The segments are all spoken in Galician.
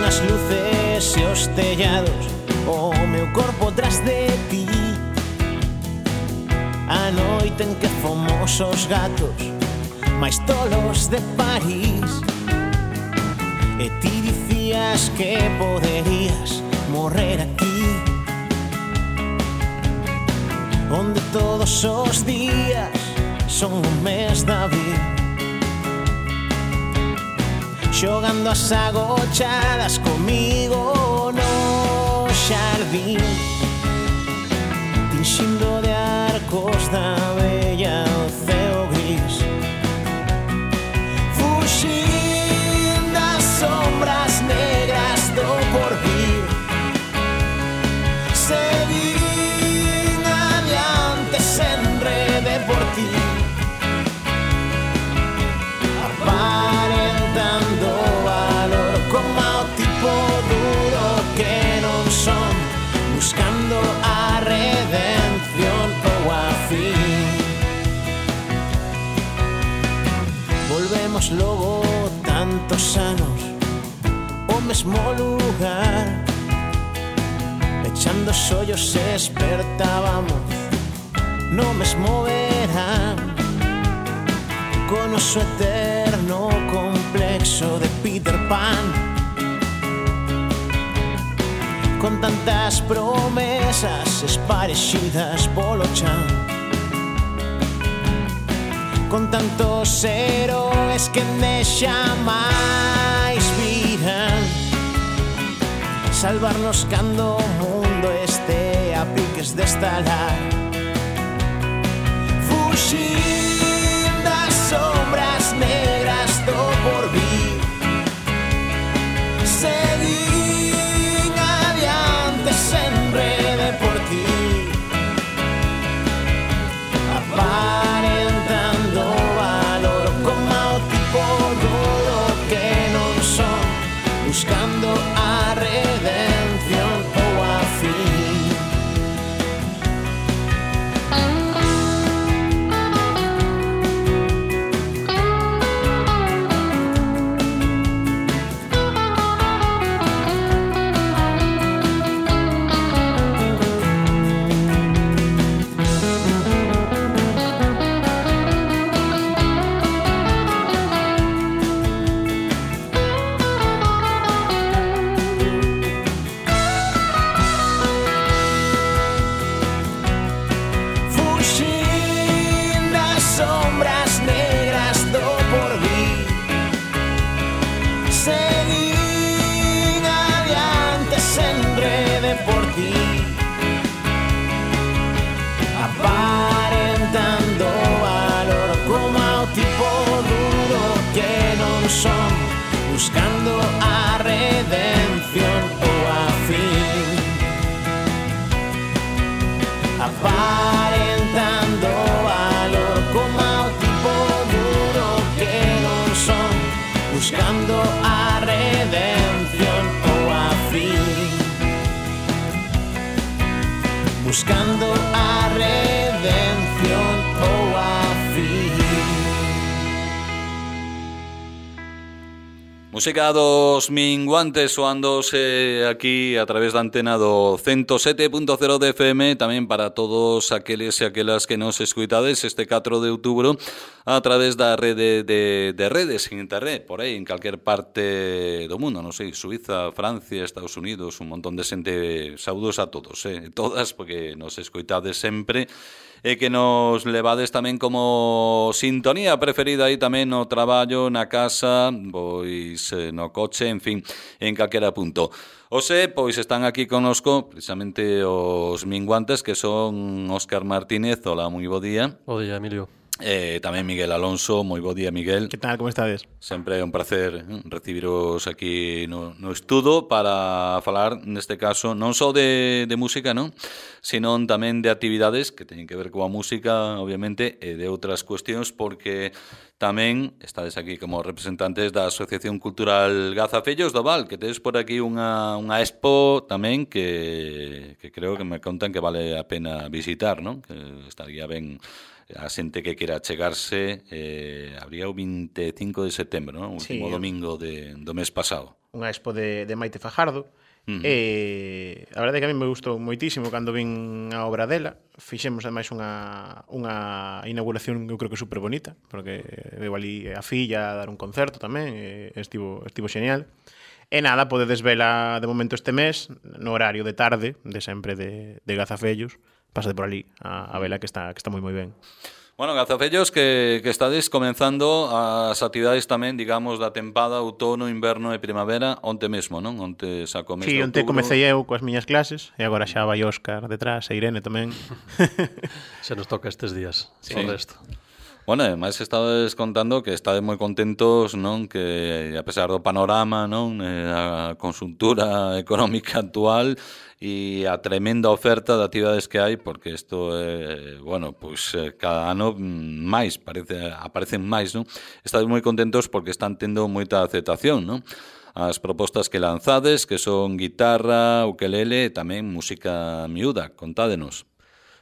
as luces e os tellados, o meu corpo tras de ti. A noite en que fomos os gatos máis tolos de París, e ti dicías que poderías morrer aquí, onde todos os días son un mes de abril, xogando as agochadas comigo no xardín, tinxindo de arcos da bella o ceo gris, fuxín das sombras negras do porvir, seguín adiante sen rede por ti, aparentando valor como o tipo duro que non son, buscando a redención ou a fin. Volvemos logo tantos anos o mesmo lugar, pechando os ollos espertábamos no mesmo verán, con o seu eterno complexo de Peter Pan, con tantas promesas esparexidas polo chan, con tantos héroes que nexa máis virán, salvarnos cando o mundo este a piques de estalar, fuxir das sombras negras do porvir, seguir adiante sen rede por ti, aparentando valor como o tipo duro que non son, buscando a redención ou a fin. Son, buscando a redención ou a fin, aparentando valor como o tipo duro que non son, buscando a redención ou a fin, buscando a redención ou a fin. Música dos Minguantes soándose aquí a través da antena do 107.0 de FM, tamén para todos aqueles e aquelas que nos escuitades este 4 de outubro a través da rede de redes en internet, por aí, en calquer parte do mundo, non sei, Suiza, Francia, Estados Unidos, un montón de xente, saúdos a todos, todas, porque nos escoitades sempre, e que nos levades tamén como sintonía preferida aí tamén no traballo, na casa, pois no coche, en fin, en calquera punto. Ose, pois están aquí conosco precisamente os Minguantes, que son Óscar Martínez. Hola, moi bo día. Bo día, Emilio. Tamén Miguel Alonso. Moi bo día, Miguel. Que tal, como estades? Sempre é un placer recibiros aquí no estudo para falar, neste caso, non só de música, non? Sino tamén de actividades que teñen que ver coa música, obviamente, e de outras cuestións, porque tamén estades aquí como representantes da Asociación Cultural Gazafellos do Val, que tedes por aquí unha expo tamén que creo que me contan que vale a pena visitar, non? Que estaría ben a xente que quera chegarse, habría o 25 de setembro, non? O último domingo do mes pasado. Unha expo de Maite Fajardo. E a verdade é que a mí me gustou moitísimo cando vin a obra dela. Fixemos ademais unha inauguración que eu creo que super bonita, porque veo ali a filla a dar un concerto tamén, estivo xeñal. E nada, podedes vela de momento este mes no horario de tarde de sempre de Gazafellos. Pásate por ali a vela que está moi ben. Bueno, Gazafellos, que estades comenzando as actividades tamén, digamos, da tempada, outono, inverno e primavera, onte mesmo, non? Onte saco mes de outubro. Sí, onte comecei eu coas miñas clases e agora xa vai Óscar detrás e Irene tamén. Se nos toca estes días, o resto. Bueno, ademais estades contando que estades moi contentos, non? Que a pesar do panorama, non? A conxuntura económica actual e a tremenda oferta de actividades que hai, porque isto bueno, pois cada ano máis aparecen máis, non? Estades moi contentos porque están tendo moita aceptación, non? As propostas que lanzades, que son guitarra, ukelele e tamén música miúda, contádenos.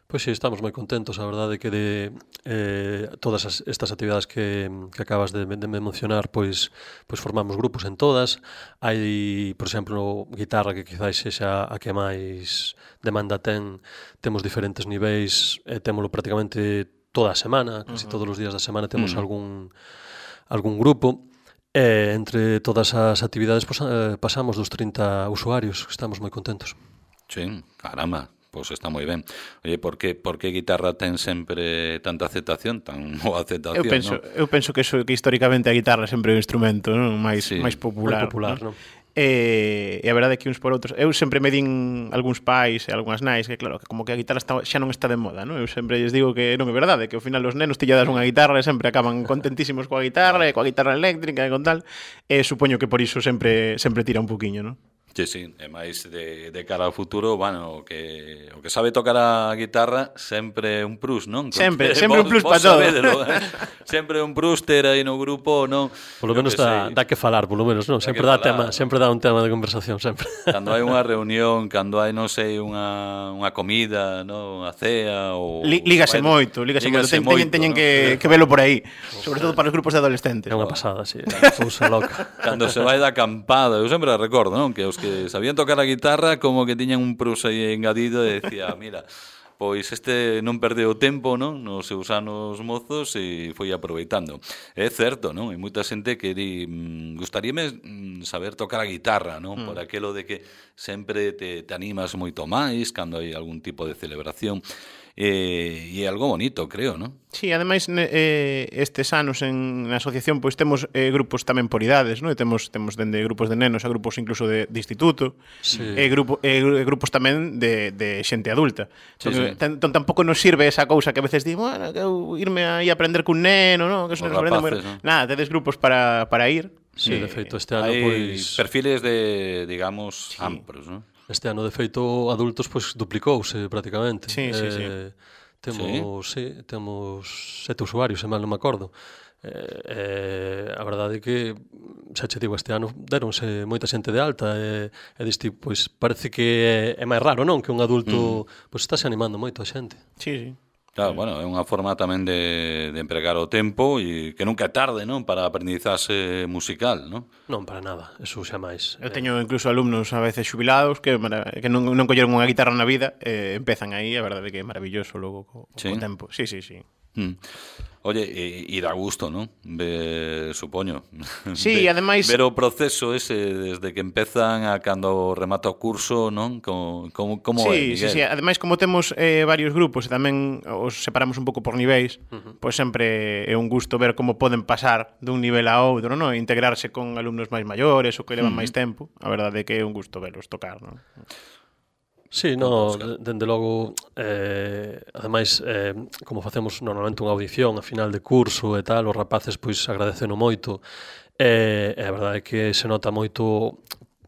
Pois sí, estamos moi contentos, a verdade que de todas estas actividades que acabas de mencionar, pois formamos grupos en todas. Hai, por exemplo, guitarra que quizás sexa a que máis demanda temos diferentes niveis, témolo prácticamente toda a semana, casi todos os días da semana temos algún grupo. Entre todas as actividades pasamos dos 30 usuarios, estamos moi contentos. Sí, caramba. Pois está moi ben. Oye, por que guitarra ten sempre tanta aceptación, tan boa aceptación, eu penso que históricamente a guitarra sempre é un instrumento, non? máis popular. Moi popular, non? E a verdade é que uns por outros, eu sempre me din algúns pais e algunhas nais que claro, que como que a guitarra xa non está de moda, non? Eu sempre lles digo que non é verdade, que ao final os nenos das unha guitarra e sempre acaban contentísimos coa guitarra e coa guitarra eléctrica e con tal, e supoño que por iso sempre tira un poquinho, non? Sí, e máis de cara ao futuro, bueno, o que sabe tocar a guitarra sempre é un plus, non? Sempre un plus para todo. Sempre un plus ter aí no grupo, non? Polo menos dá que falar, polo menos, non? Sempre dá un tema de conversación, sempre. Cando hai unha reunión, cando hai, non sei, unha comida, non? Unha cea ou... Lígase moito. Teñen que velo por aí, sobre todo para os grupos de adolescentes. É unha pasada, sí, cousa loca. Cando se vai da acampada, eu sempre recordo, non? Que os que sabían tocar a guitarra como que tiñan un plus aí engadido e decía, mira, pois este non perdeu tempo, non? Nos seus anos mozos e foi aproveitando. É certo, non? Hai moita xente que di, gustaríame saber tocar a guitarra, non? Por aquelo de que sempre te animas moito máis cando hai algún tipo de celebración. E é algo bonito, creo, non? Sí, ademais estes anos na asociación pois temos grupos tamén por idades, non? Temos dende grupos de nenos a grupos incluso de instituto, e grupos tamén de xente adulta. Entón tampouco nos sirve esa cousa que a veces digo, bueno, que eu irme aí a aprender cun neno, non? Que os nenos aprenden, nada, tedes grupos para ir. Sí, de feito este ano hai perfiles de, digamos, amplos, non? Este ano, de feito, adultos pois duplicouse prácticamente. Sí. Temos 7 usuarios, se mal non me acordo. A verdade é que, xa che digo, este ano deronse moita xente de alta e diste, pois parece que é máis raro, non? Que un adulto pois estáse animando moito a xente. Sí. Claro, bueno, é unha forma tamén de empregar o tempo e que nunca é tarde, non? Para a aprendizaxe musical, non? Non, para nada, eso xa máis. Eu teño incluso alumnos a veces xubilados que non colleron unha guitarra na vida e empezan aí, a verdade que é maravilloso logo co tempo. Sí. Oye, e dá gusto, non? Supoño. Sí, ademais... Ver o proceso ese desde que empezan a cando remata o curso, non? Como é, Miguel? Sí. Ademais, como temos varios grupos e tamén os separamos un pouco por niveis, pois sempre é un gusto ver como poden pasar dun nivel a outro, non? Integrarse con alumnos máis maiores ou que levan máis tempo. A verdade é que é un gusto velos tocar, non? Sí, dende logo, ademais, como facemos normalmente unha audición a final de curso e tal, os rapaces pois agradeceno moito, e a verdade é que se nota moito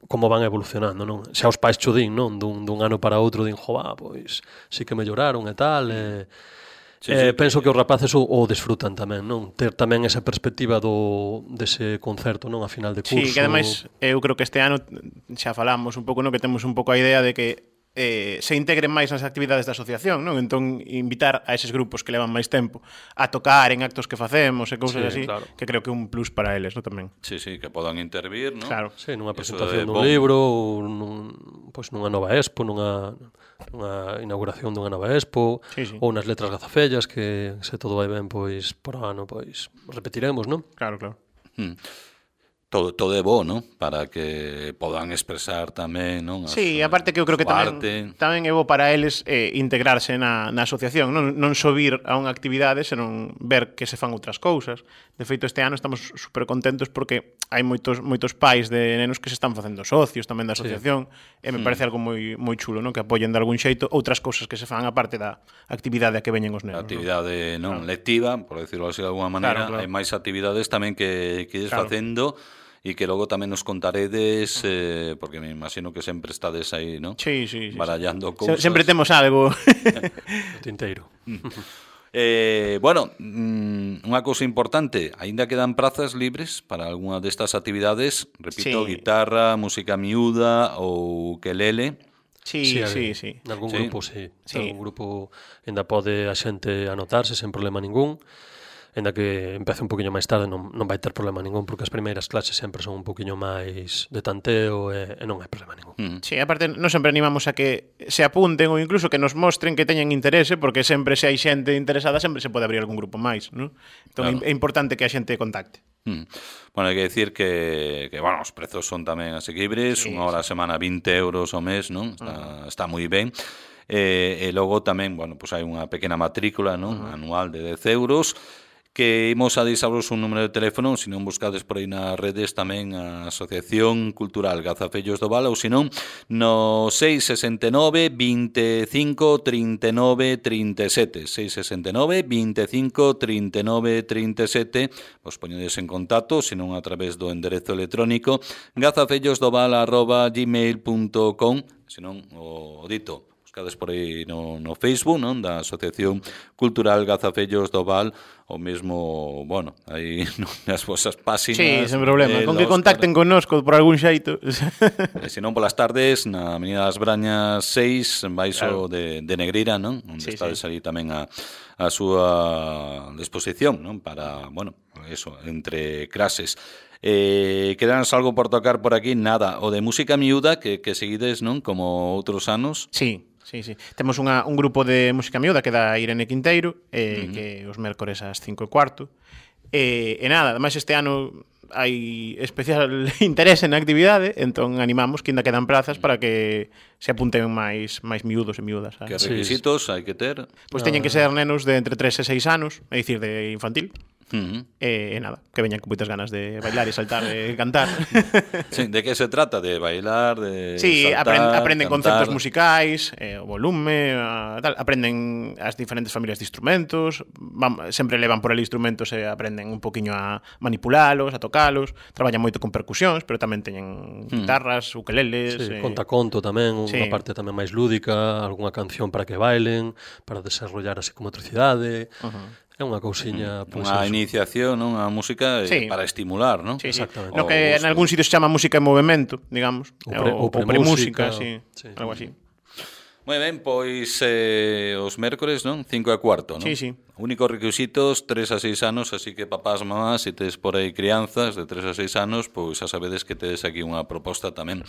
como van evolucionando, non? Xa os pais cho din, non? Dun ano para outro din, pois sí que melloraron e tal, penso que os rapaces o disfrutan tamén, non? Ter tamén esa perspectiva dese concerto, non? A final de curso. Sí, que ademais eu creo que este ano xa falamos un pouco, non? Que temos un pouco a idea de que se integren máis nas actividades da asociación, non? Entón, invitar a eses grupos que levan máis tempo a tocar en actos que facemos e cousas así, claro, que creo que é un plus para eles, non? Tamén. Sí, que podan intervir, non? Claro. Sí, nunha presentación dun libro, ou nunha nova expo, nunha inauguración dunha nova expo, ou nas letras gazafellas, que se todo vai ben, pois, por ano, pois, repetiremos, non? Claro. Todo é bo, non? Para que podan expresar tamén, non? Sí, aparte que eu creo que tamén é bo para eles integrarse na asociación, non só vir a unha actividade, senón ver que se fan outras cousas. De feito, este ano estamos super contentos porque hai moitos pais de nenos que se están facendo socios tamén da asociación, e me parece algo moi chulo, non? Que apoyen de algún xeito outras cousas que se fan aparte da actividade a que veñen os nenos. A actividade non lectiva, por decirlo así de alguma maneira, hai máis actividades tamén que ides facendo, e que logo tamén nos contaredes, porque me imagino que sempre estades aí, non? Sí. Barallando cousas. Sempre temos algo. O tinteiro. Bueno, unha cousa importante, aínda quedan prazas libres para algunha destas actividades, repito, guitarra, música miúda ou ukelele. Sí. Nalgún grupo, sí. Nalgún grupo ainda pode a xente anotarse sen problema ningún. Ainda que empece un poquinho máis tarde non vai ter problema ningún, porque as primeiras clases sempre son un poquinho máis de tanteo e non hai problema ningún. Sí, aparte, non sempre animamos a que se apunten ou incluso que nos mostren que teñen interese, porque sempre se hai xente interesada sempre se pode abrir algún grupo máis, non? Entón é importante que a xente contacte. Bueno, hai que decir que bueno, os prezos son tamén asequibles, unha hora a semana 20 euros ao mes, non? Está moi ben. E logo tamén, bueno, pues hai unha pequena matrícula, non? Anual de 10 euros, que imos a deixaros un número de teléfono, se non buscades por aí nas redes tamén a Asociación Cultural Gazafellos do Val, ou se non, no 669 25 39 37, 669 25 39 37, vos poñedes en contacto, se non a través do enderezo electrónico gazafellosdoval@gmail.com, se non o dito, buscades por aí no Facebook, non, da Asociación Cultural Gazafellos do Val, o mesmo, bueno, aí nas vosas páxinas. Sí, sen problema, con que contacten connosco por algún xeito. E se non polas tardes, na Avenida das Brañas 6, baixo de Negreira, non? Onde estades ali tamén a súa disposición, non? Para, bueno, eso, entre clases. Quedanos algo por tocar por aquí? Nada, o de música miúda que seguides, non? Como outros anos. Sí. Temos un grupo de música miúda que dá Irene Quinteiro, que os mércores ás 5:15. E nada, ademais este ano hai especial interese na actividade, entón animamos que ainda quedan plazas para que se apunten máis miúdos e miúdas. Que requisitos hai que ter? Pois teñen que ser nenos de entre 3 e 6 anos, é dicir, de infantil. E nada, que veñan con moitas ganas de bailar e saltar e cantar. Sí, de que se trata? De bailar, de saltar, aprenden cantar, conceptos musicais, o volume, tal, aprenden as diferentes familias de instrumentos, sempre levan por ali instrumentos e aprenden un poquinho a manipulalos, a tocalos, traballan moito con percusións, pero tamén teñen guitarras, ukeleles... Sí, contaconto tamén, unha parte tamén máis lúdica, algunha canción para que bailen, para desarrollar a psicomotricidade... É unha cousiña, pois unha iniciación, non, a música para estimular, non? Sí. Exactamente. No que en algún sitio se chama música en movimento, digamos, ou premúsica, algo así. Moi ben, pois os mércores, non? 5:15, non? Sí. Únicos requisitos 3 a 6 anos, así que papás, mamás, se tedes por aí crianzas de 3 a 6 anos, pois xa sabedes que tedes aquí unha proposta tamén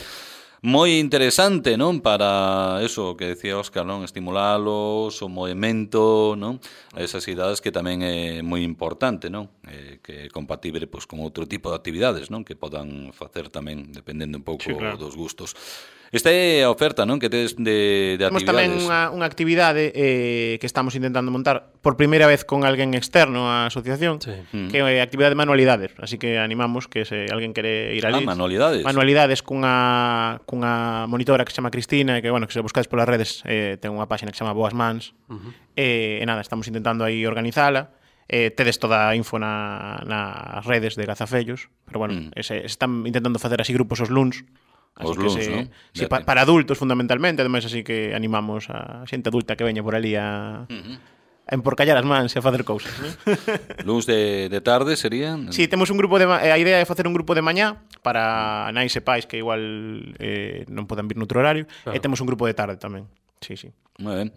moi interesante, non? Para eso que decía Óscar, non? Estimulálos, o movimento, non? A esas idades que tamén é moi importante, non? Que é compatible pois, con outro tipo de actividades, non? Que podan facer tamén, dependendo un pouco dos gustos. Esta é a oferta, non? Que tedes de temos actividades. Temos tamén unha actividade que estamos intentando montar por primeira vez con alguén externo á asociación, que é a actividade de manualidades. Así que animamos que se alguén quere ir ali. Manualidades. Manualidades cunha monitora que se chama Cristina, e que, bueno, que se buscades polas redes, ten unha páxina que se chama Boas Mans. E nada, estamos intentando aí organizala. Tedes toda a info nas redes de Gazafellos, pero bueno, se están intentando facer así grupos os luns. Os luns, non? Sí, para adultos fundamentalmente, ademais así que animamos a xente adulta que veña por ali a emporcallar as mans e a facer cousas, non? Luns de tarde serían? Sí, temos un grupo a idea é facer un grupo de mañá para nais e pais que igual non poden vir noutro horario, e temos un grupo de tarde tamén. Sí. Moi ben.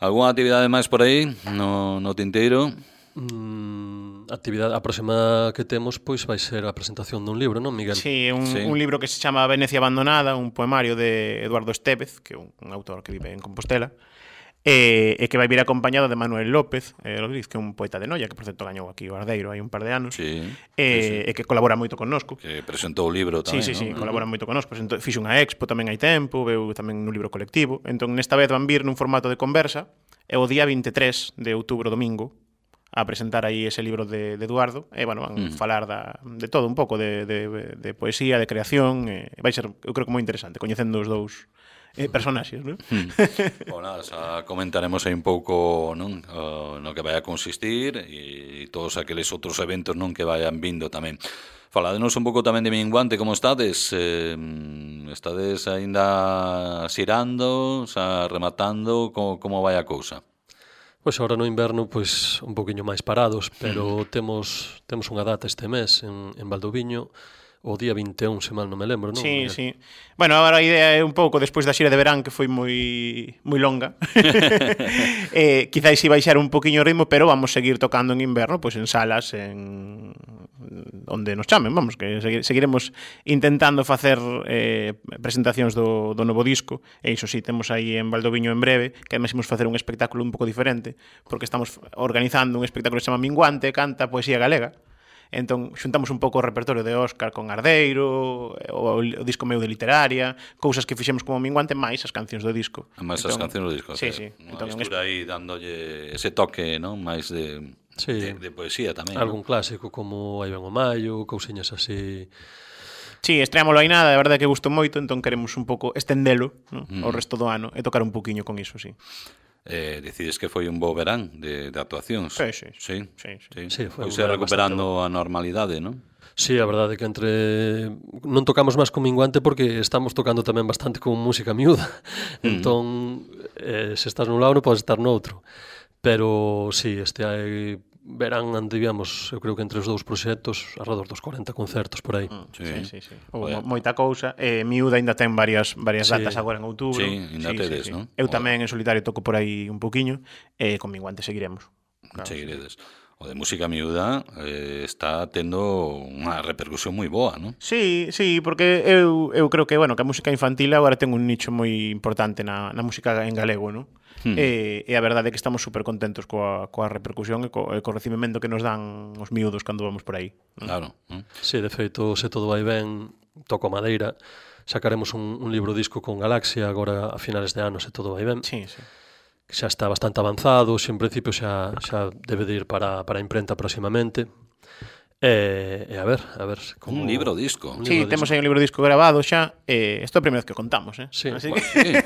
Algúna actividade máis por aí no tinteiro? A próxima que temos pois vai ser a presentación dun libro, non, Miguel? Sí, un libro que se chama Venecia abandonada, un poemario de Eduardo Estévez, que é un autor que vive en Compostela, e que vai vir acompañado de Manuel López Rodríguez, que é un poeta de Noia, que por certo gañou aquí o Ardeiro hai un par de anos, sí. E que colabora moito connosco. Que presentou o libro tamén, Sí, ¿no? colabora moito connosco. Fixo unha expo tamén hai tempo, veu tamén nun libro colectivo. Entón, nesta vez van vir nun formato de conversa, e o día 23 de outubro, domingo, a presentar aí ese libro de Eduardo, e, bueno, van falar de todo un pouco, de poesía, de creación, vai ser, eu creo que moi interesante, coñecendo os dous personaxes, non? Bueno, xa comentaremos aí un pouco, non, no que vai a consistir e todos aqueles outros eventos, non, que vayan vindo tamén. Faladenos un pouco tamén de Minguante, como estades? Estades aínda xirando, xa rematando, como vai a cousa? Pois agora no inverno pois un poquinho máis parados, pero temos unha data este mes en Valdoviño, o día 21, se mal non me lembro, non? Sí. Bueno, agora a idea é un pouco, despois da xira de verán, que foi moi longa, quizáis si baixar un poquinho o ritmo, pero vamos seguir tocando en inverno, pois en salas, onde nos chamen, vamos, que seguiremos intentando facer presentacións do novo disco, e iso sí, temos aí en Valdoviño en breve, que además imos facer un espectáculo un pouco diferente, porque estamos organizando un espectáculo que se chama Minguante, canta poesía galega. Entón, xuntamos un pouco o repertorio de Óscar con Ardeiro, o disco meu de literaria, cousas que fixemos como Minguante, máis as cancións do disco. Máis as cancións do disco. Sí. Entón, estura aí dándolle ese toque, non, máis de poesía tamén. Algún clásico como Aí ven o Maio, cousiñas así. Sí, estreámoslo aí nada, a verdade que gustou moito, entón queremos un pouco estendelo, ¿no? O resto do ano e tocar un pouquiño con iso, sí. Decides que foi un bo verán de actuacións. Sí, foi recuperando a normalidade, non? Sí, a verdade é que non tocamos máis con Minguante porque estamos tocando tamén bastante con música miúda. Entón, se estás nun lado non podes estar noutro. Pero sí, este verán andivíamos, eu creo que entre os dous proxectos, alrededor dos 40 concertos por aí. Sí. Moita cousa. Miúda ainda ten varias datas agora en outubro. Sí, ainda tedes, non? Eu tamén en solitario toco por aí un poquiño, e con Minguante seguiremos. Claro, seguiredes. O de música miúda está tendo unha repercusión moi boa, non? Sí, porque eu creo que, bueno, que a música infantil agora ten un nicho moi importante na música en galego, non? E a verdade é que estamos super contentos coa repercusión e co recibimento que nos dan os miúdos cando vamos por aí. Claro. Sí, de feito, se todo vai ben, toco madeira, sacaremos un libro disco con Galaxia agora a finales de ano, se todo vai ben. Sí. Xa está bastante avanzado, en principio xa debe de ir para a imprenta próximamente. E a ver como... Un libro disco. Sí, temos aí un libro disco grabado xa. Isto é a primeira vez que contamos, Sí, así que...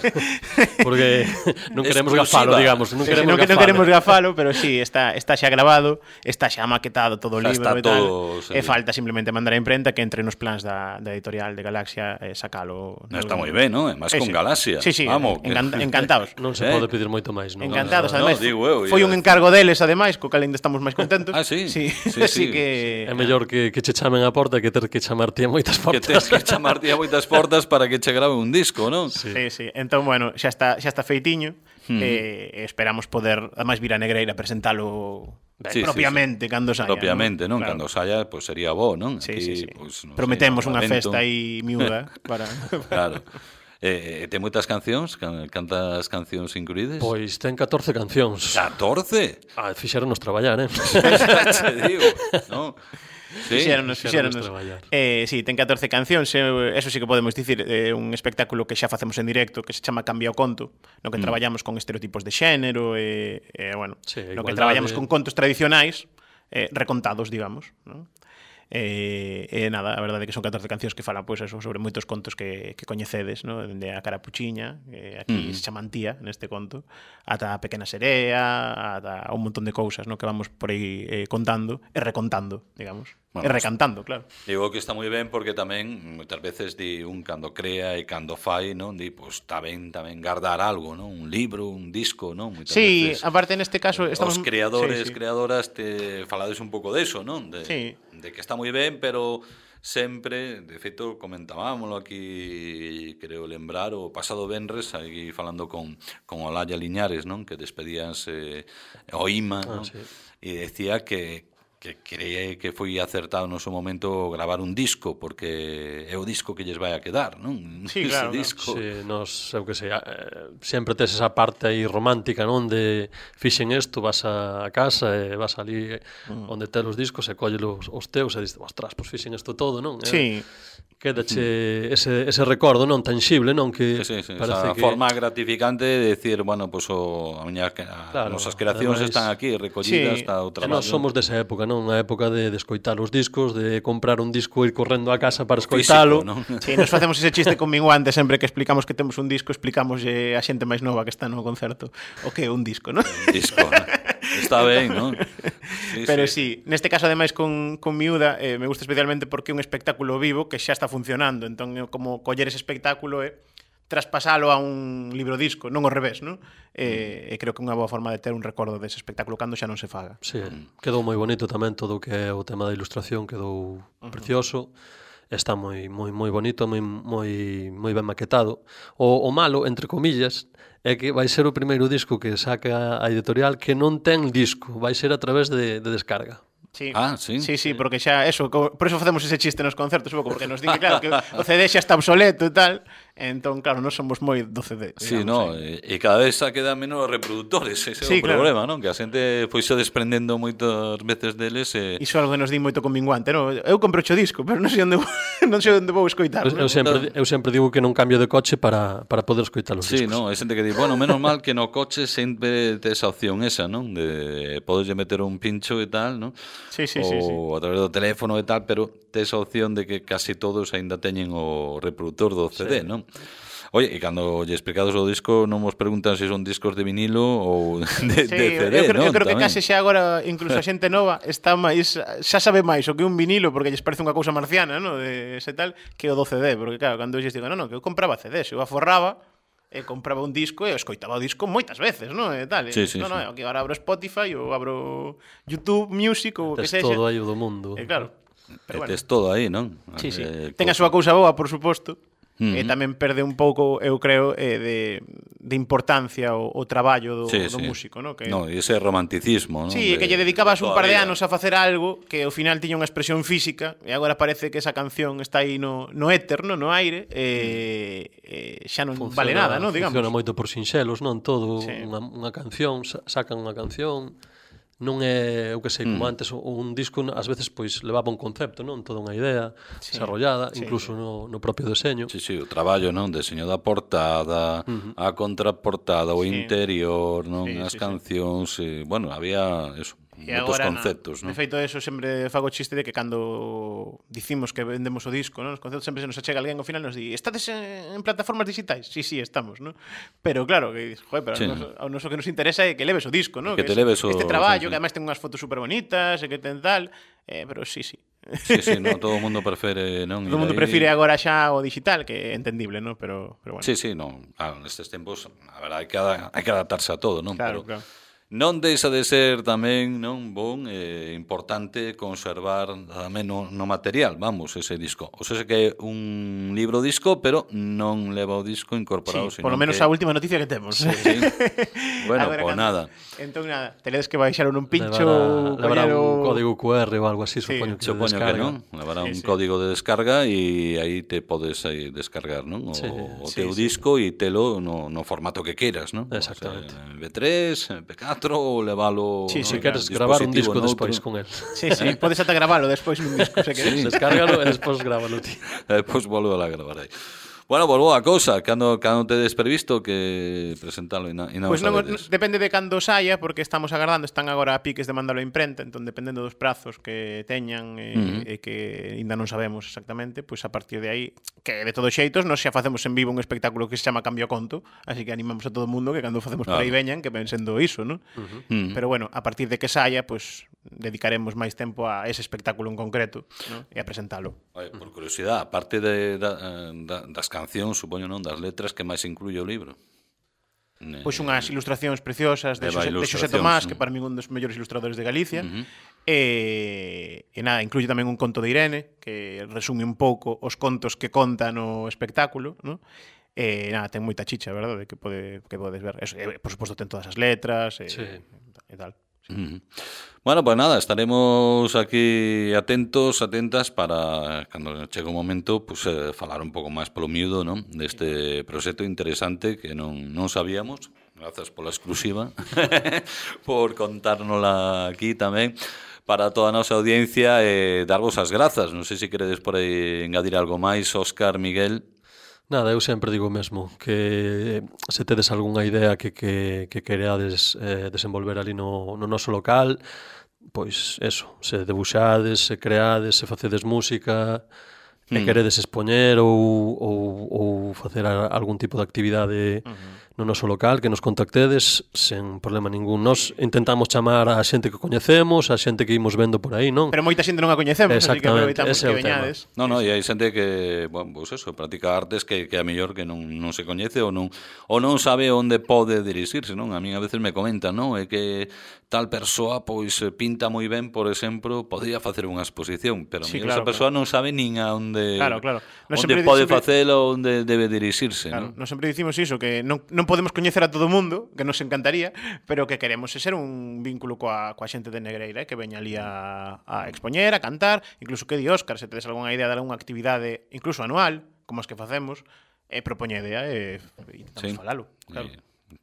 porque non queremos gafalo, digamos. Non queremos gafalo, pero sí, está xa grabado, está xa maquetado todo o libro e tal. E falta simplemente mandar a imprenta, que entre nos plans da editorial de Galaxia sacalo. Está moi ben, non? Más con Galaxia. Sí, vamos. Encantados. Non se pode pedir moito máis, non? Encantados, ademais. Foi un encargo deles, ademais, co cal ainda estamos máis contentos. Sí. Así que é mellor que che chamen a porta que ter que chamarte a moitas portas. Que tens que chamarte a moitas portas para que che grabe un disco, non? Sí. Entón, bueno, xa está feitiño. Esperamos poder, ademais, vir a Negreira a presentalo propiamente cando saia. Propiamente, non? Cando saia, pois sería bo, non? Sí. Prometemos unha festa aí miúda para... Claro. Ten moitas cancións? Cantas cancións incluídes? Pois ten 14 cancións. 14? Fixéronos traballar, Te digo, non? Sí, fixéronos. Sí, ten 14 cancións. Eso sí que podemos dicir, un espectáculo que xa facemos en directo, que se chama Cambia o conto, no que traballamos con estereotipos de xénero, bueno, no que traballamos con contos tradicionais, recontados, digamos, non? Nada, a verdade é que son 14 cancións que falan pois eso, sobre moitos contos que coñecedes, ¿no? Dende a Carapuchiña, aquí se chaman Tía neste conto, ata a Pequena Serea, ata un montón de cousas, ¿no? Que vamos por aí contando e recontando, digamos. E recantando, claro. Digo que está moi ben porque tamén moitas veces di un cando crea e cando fai, non? Di, pois está ben tamén guardar algo, non? Un libro, un disco, non? Moitas veces, aparte neste caso estamos os creadores, creadoras te falades un pouco deso, non? De que está moi ben, pero sempre, de feito, comentábamoslo aquí, creo lembrar, o pasado venres, aquí falando con Olaya Liñares, non? Que despedíanse o IMA, non? E decía que cree que foi acertado no seu momento gravar un disco, porque é o disco que lles vai a quedar, non? Sí, claro. Disco. Sí, nos, eu que sei, sempre tes esa parte aí romántica, non? De fixen isto, vas a casa e vas ali onde tes os discos e colle os teus e dices, ostras, pois fixen isto todo, non? Sí. Quédache ese recordo non tangible, non? Que esa forma gratificante de decir, bueno, pues nosas creacións están aquí recollidas, está o traballo. Nós somos desa época, non? A época de escoitar os discos, de comprar un disco e ir correndo a casa para escoitalo. Sí, nos facemos ese chiste con Minguante sempre que explicamos que temos un disco, explicamos a xente máis nova que está no concerto o que é un disco, non? Un disco, non? Está ben, non? Pero sí, neste caso ademais con Miúda me gusta especialmente porque é un espectáculo vivo que xa está funcionando, entón como coller ese espectáculo e traspasalo a un libro disco, non ao revés, non? E creo que é unha boa forma de ter un recordo dese espectáculo cando xa non se faga. Sí, quedou moi bonito tamén todo o que é o tema da ilustración, quedou precioso. Está moi bonito, moi ben maquetado. O malo, entre comillas, é que vai ser o primeiro disco que saca a editorial que non ten disco, vai ser a través de descarga. Sí. Sí? Sí, porque xa eso, por eso facemos ese chiste nos concertos, un pouco, porque nos di que claro que o CD xa está obsoleto e tal. Entón, claro, non somos moi do CD. Sí, no, e cada vez xa quedan menos reproductores, ese é o problema, non? Que a xente foi xa desprendendo moitas veces deles e... Iso é algo que nos di moito con Minguante, non? Eu compro o disco, pero non sei onde vou escoitar. Eu sempre digo que non cambio de coche para poder escoitar os discos. Sí, no, hai xente que di, bueno, menos mal que no coche sempre tes a opción esa, non? De podes meter un pincho e tal, non? Sí. Ou a través do teléfono e tal, pero tes a opción de que casi todos aínda teñen o reproductor do CD, non? Oye, e cando lle explicados o disco non vos preguntan se son discos de vinilo ou de CD, non? Eu creo que case xa agora incluso a xente nova está máis, xa sabe máis o que un vinilo porque lles parece unha cousa marciana, non? De ese tal, que o do CD, porque claro, cando lles digo, non, que eu compraba CD, se eu aforraba e compraba un disco e escoitaba o disco moitas veces, non? E tal. Non, aquí agora abro Spotify ou abro YouTube Music ou o que sexa. Tes todo aí o do mundo. Claro. Pero tes todo aí, non? Sí. Ten a súa cousa boa, por suposto. E tamén perde un pouco, eu creo, de importancia o traballo do músico, non? No, e ese romanticismo, non? Sí, que lle dedicabas un par de anos a facer algo que ao final tiña unha expresión física e agora parece que esa canción está aí no éter, no aire e xa non vale nada, non? Digamos. Funciona moito por sinxelos, non? Todo unha canción, sacan unha canción. Non é, eu que sei, como antes un disco ás veces pois levaba un concepto, non? Toda unha idea desarrollada, incluso no propio deseño. Sí, o traballo, non? Deseño da portada, a contraportada, o interior, non? As cancións, bueno, había eso. Moitos conceptos, non? De feito, eso sempre fago chiste de que cando dicimos que vendemos o disco, non? Os conceptos sempre se nos achega alguén ao final nos di, estades en plataformas digitais? Sí, estamos, non? Pero claro, que joder, pero ao noso que nos interesa é que leves o disco, non? Que te leves o... Este traballo, que además ten unhas fotos super bonitas e que ten tal, pero sí. Sí, no, todo o mundo prefere, non? Todo o mundo prefire agora xa o digital, que é entendible, non? Pero bueno. Sí, non. Claro, nestes tempos, a ver, hai que adaptarse a todo, non? Claro. Non deixa de ser tamén non bon importante conservar tamén no material, vamos, ese disco. O sea, que é un libro disco, pero non leva o disco incorporado. Sí, por lo menos a última noticia que temos. Sí. Bueno, pues nada. Entón nada, teredes que baixar un pincho, levará un código QR ou algo así, supoño que non. Levará un código de descarga e aí te podes descargar, non? O teu disco e telo no formato que queiras, non? Exactamente. MP3, MP4 ou levalo... Sí, se queres gravar un disco despois con él. Sí, podes ata gravalo despois nun disco, se queres. Descárgalo e despois grábalo ti. Despois volvo a gravar aí. Bueno, pues boa cousa, cando tedes previsto que presentalo e non Pois non, sabedes. depende de cando saia, porque estamos agardando, están agora a piques de mandalo a imprenta, entón dependendo dos prazos que teñan e que ainda non sabemos exactamente, pois a partir de aí, que de todos xeitos, nós xa facemos en vivo un espectáculo que se chama Cambio a Conto, así que animamos a todo o mundo que cando facemos por aí veñan, que ven sendo iso, non? Pero bueno, a partir de que saia, pois dedicaremos máis tempo a ese espectáculo en concreto, non? E a presentalo. Por curiosidade, aparte das cancións, supoño, non, das letras, que máis incluye o libro? Pois unhas ilustracións preciosas de Xosé Tomás, que para min é un dos mellores ilustradores de Galicia. E nada, incluye tamén un conto de Irene, que resume un pouco os contos que conta no espectáculo, ¿no? E nada, ten moita chicha, verdade, que podes ver. Eso, por suposto, ten todas as letras e tal. Bueno, pues nada, estaremos aquí atentas para cando chegue o momento pues, falar un pouco máis polo miúdo, ¿no? Deste proxecto interesante que non sabíamos. Grazas pola exclusiva por contárnosla aquí tamén para toda a nosa audiencia e darvos as grazas. Non sei se queredes por aí engadir algo máis, Óscar, Miguel. Nada, eu sempre digo o mesmo, que se tedes algunha idea que quereades desenvolver ali no noso local, pois eso, se debuxades, se creades, se facedes música, e queredes expoñer ou facer algún tipo de actividade no noso local, que nos contactedes sen problema ningún. Nos intentamos chamar a xente que coñecemos, a xente que imos vendo por aí, non? Pero moita xente non a coñecemos, así que aproveitamos ese que veñades. No, e hai xente que, bueno, pues eso, practica artes que a mellor que non se coñece ou non sabe onde pode dirixirse, non? A mí a veces me comentan, non? É que tal persoa pois pinta moi ben, por exemplo, podría facer unha exposición, pero a mellor esa persoa non sabe nin a onde onde pode facelo, onde debe dirixirse, claro, non? Nós sempre dicimos iso, que non podemos coñecer a todo o mundo, que nos encantaría, pero que queremos ser un vínculo coa xente de Negreira, que veña ali a expoñer, a cantar, incluso que di Óscar, se tedes algunha idea de algunha actividade, incluso anual, como as que facemos, propoñedea e intentamos falalo, claro.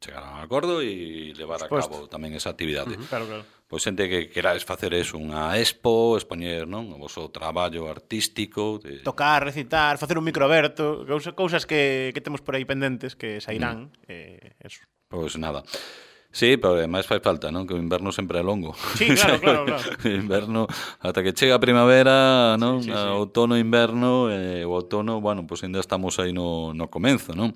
Chegar a un acordo e levar a cabo tamén esa actividade. Claro. Pois xente que querades facer eso, unha expo, expoñer, non? O vosso traballo artístico, tocar, recitar, facer un microberto, cousas que temos por aí pendentes que sairán, eso. Pois nada. Sí, pero ademais fai falta, non? Que o inverno sempre é longo. Sí, claro. O inverno, ata que chega a primavera, non? Sí. Outono, inverno, o outono, bueno, pois ainda estamos aí no comenzo, non?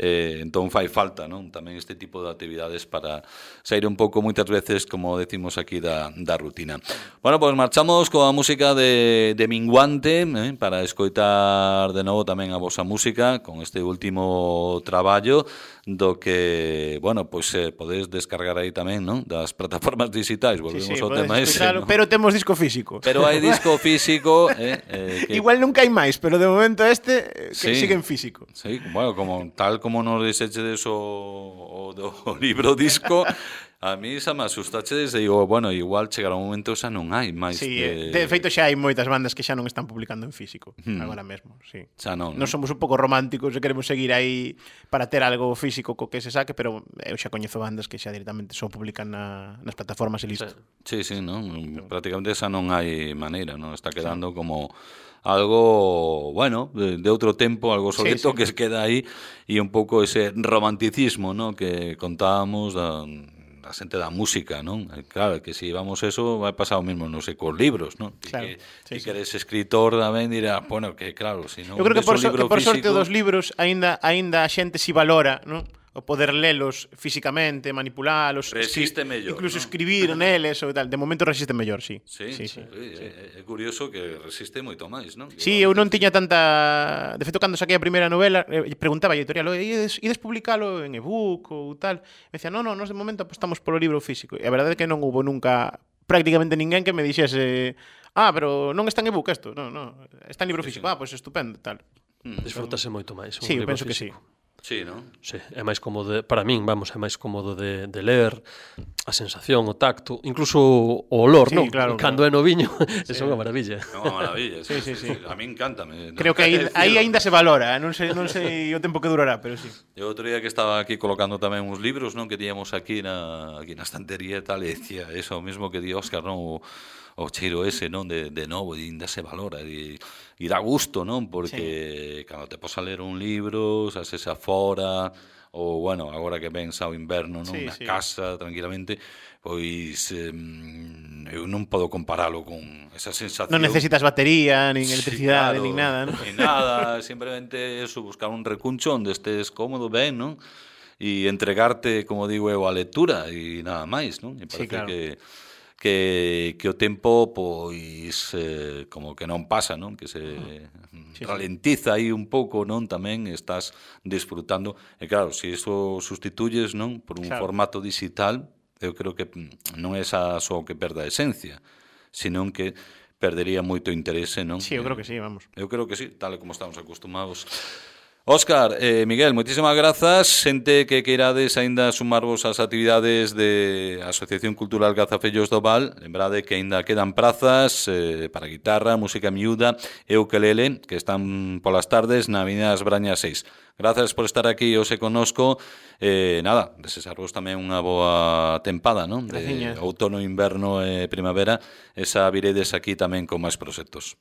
Entón fai falta, non? Tamén este tipo de actividades para sair un pouco moitas veces, como decimos aquí, da rutina. Bueno, pois marchamos coa música de Minguante, para escoitar de novo tamén a vosa música con este último traballo do que, bueno, pois podedes descargar aí tamén, non? Das plataformas digitais, volvemos ao tema ese, ¿no? Pero temos disco físico. Pero hai disco físico, que... Igual nunca hai máis, pero de momento que sigue en físico. Sí, bueno, tal como nos dixechedes o libro disco, a mí xa me asustachedes e digo, bueno, igual chegará un momento xa non hai máis. Sí, de feito xa hai moitas bandas que xa non están publicando en físico agora mesmo, sí. Xa non. Nos somos un pouco románticos e queremos seguir aí para ter algo físico co que se saque, pero eu xa coñezo bandas que xa directamente só publican nas plataformas e listo. Sí, non, prácticamente xa non hai maneira, non? Está quedando como algo, bueno, de outro tempo, algo obsoleto que se queda aí e un pouco ese romanticismo, ¿no? Que contábamos da xente da música, non? Claro, que se vamos eso vai pasar o mesmo, non sei, cos libros, non? Claro, que eres escritor tamén dirá, bueno, que claro, se non... Eu creo que por sorte dos libros aínda a xente si valora, non? O poder lelos físicamente, manipulalos, resiste mellor, incluso ¿no? Escribir neles ou tal. De momento resiste mellor, sí. Sí. É curioso que resiste moito máis, non? Sí, eu non tiña tanta... De feito, cando saquei a primeira novela, preguntaba a editorial, ides publicalo en ebook ou tal? Me decía, non, nós de momento apostamos polo libro físico. E a verdade é que non houve nunca prácticamente ninguén que me dixese pero non está en ebook isto. Non, está en libro físico. Pois estupendo, tal. Disfrútase moito máis. Sí, eu penso que sí. Sí, non? Sí, é máis cómodo, para min, vamos, é máis cómodo de ler, a sensación, o tacto, incluso o olor, sí, non? Claro, cando é no viño, é unha maravilla. É unha maravilla, sí. A mí encántame. Creo que aí aínda se valora, non sei o tempo que durará, pero sí. Eu outro día que estaba aquí colocando tamén uns libros, non, que tiñamos aquí na estantería e tal, e decía eso, o mesmo que di Óscar, non? o cheiro ese, non, de novo, e ainda se valora, e dá gusto, non, porque cando te pos a ler un libro, sases afora, ou, bueno, agora que ven xa o inverno, non, na casa, tranquilamente, pois eu non podo comparalo con esa sensación. Non necesitas batería, nin electricidade, nin nada, non? Nin nada, simplemente eso, buscar un recuncho onde estés cómodo, ben, non? E entregarte, como digo eu, a lectura e nada máis, non? E parece claro. que o tempo, pois, como que non pasa, non? Que se ralentiza aí un pouco, non? Tamén estás disfrutando. E claro, se iso sustituyes, non? Por un formato digital, eu creo que non é só que perda a esencia, senón que perdería moito interese, non? Sí, eu creo que sí, vamos. Eu creo que sí, tal como estamos acostumados. Óscar, Miguel, moitísimas grazas. Xente que queirades aínda sumarvos ás actividades de Asociación Cultural Cazafellos do Val, lembrade que aínda quedan prazas para guitarra, música miúda e ukelele, que están polas tardes na Avenida das Brañas 6. Grazas por estar aquí hoxe connosco. Nada, desexarvos tamén unha boa tempada, non? De outono, inverno e primavera. Esa viredes aquí tamén con máis proxectos.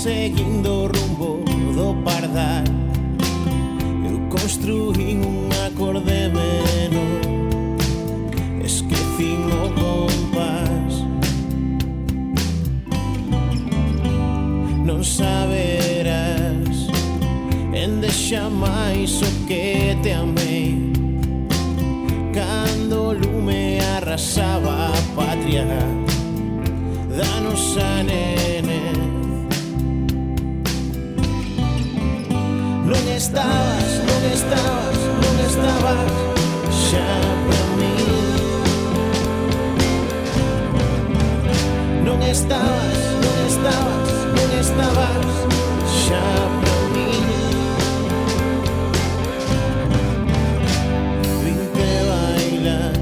Seguindo o rumbo do pardal, eu construín un acorde menor, esquecín o compás. Non saberás endexa máis o que te amei, cando o lume arrasaba a patria da nosa nene. Non estabas xa para mí. Non estabas xa para mí. Vinte bailar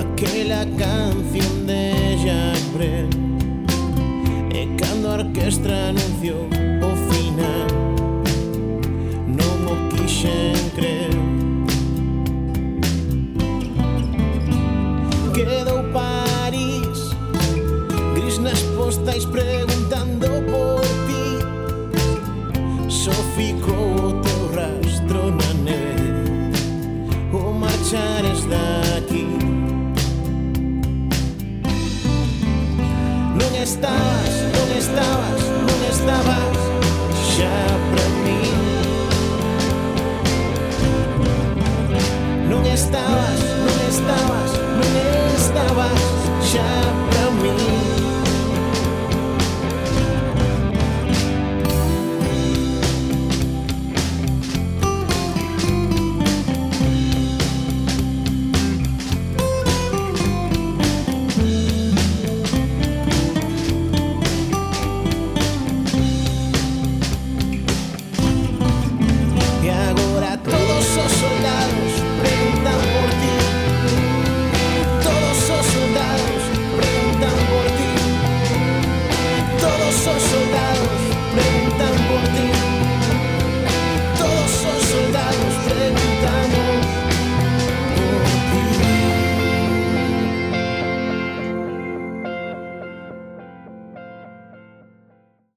aquela canción de Jacques Brel, e cando a orquestra anunciou o final, quixen crer. Quedou París gris nas postais preguntando por ti, só ficou o teu rastro na neve, o marchares daqui. Non estabas xa para mí. Non estabas